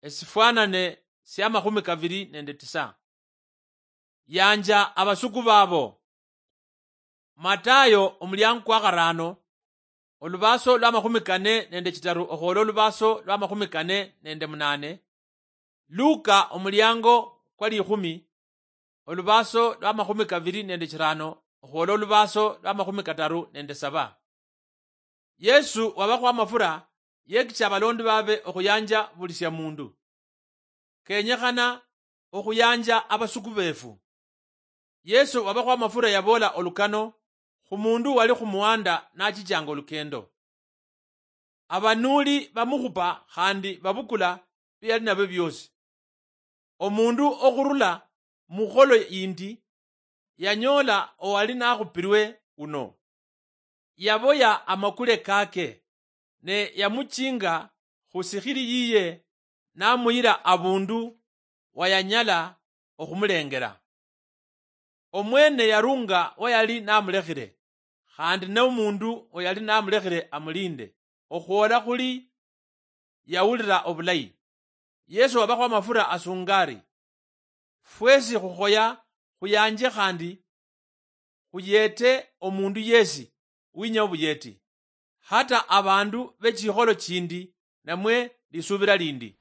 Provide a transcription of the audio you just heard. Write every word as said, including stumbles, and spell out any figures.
Esifwanane sia makhumi kaviri nende tisa. Yanja avasuku vavo. Matayo omuliango kwa kharano, oluvaso lwa makhumi kane nende chitaru okhwola oluvaso lwa makhumi kane nende munane. Luka omuliango kwa likhumi, oluvaso lwa makhumi kaviri nende chirano okhwola oluvaso lwa makhumi kataru nende saba. Yesu wavakho amafura yekicha avalondi vave okhuyanja vuli sia mundu. Kenyekhana okhuyanja avasuku vefu. Yesu wavakho amafura yavola olukano khu mundu wali khumuhanda nachichanga olukendo. Avanuli vamukhupa khandi vavukula viyali navyo viosi. Omundu okhurula mukholo yindi yanyoola owali nakhupirwe uno. Yavoya amakule kake, ne yamuchinga khu sikhili yiye, namuyira avundu wayanyala okhumulengela. Omwene yarunga wayali namulekhile, khandi nomundu oyali namulekhile amulinde, okhwola khuli yawulila obulayi. Yesu wabakho amafura asunga ari, fwesi khukhoya khuyanje khandi khuyete omundu yesi winya obuyeti, hata abandu bechikholo chindi namwe lisubila lindi.